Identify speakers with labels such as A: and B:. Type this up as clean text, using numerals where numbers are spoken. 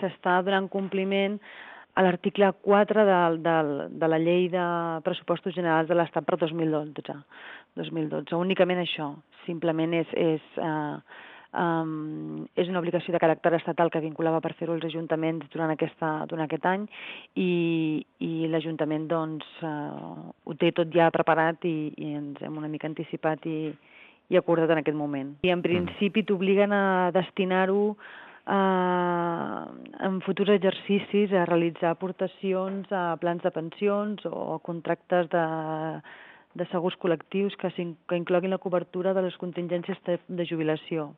A: S'està donant compliment a l'article 4 de la Llei de Pressupostos Generals de l'Estat per 2012. Únicament això. Simplement és una obligació de caràcter estatal que vinculava per fer-ho els ajuntaments durant aquest any i l'Ajuntament doncs, ho té tot ja preparat i ens hem una mica anticipat i acordat en aquest moment. I en principi t'obliguen a destinar-ho en futurs exercicis a realitzar aportacions a plans de pensions o a contractes de segurs col·lectius que incloguin la cobertura de les contingències de jubilació.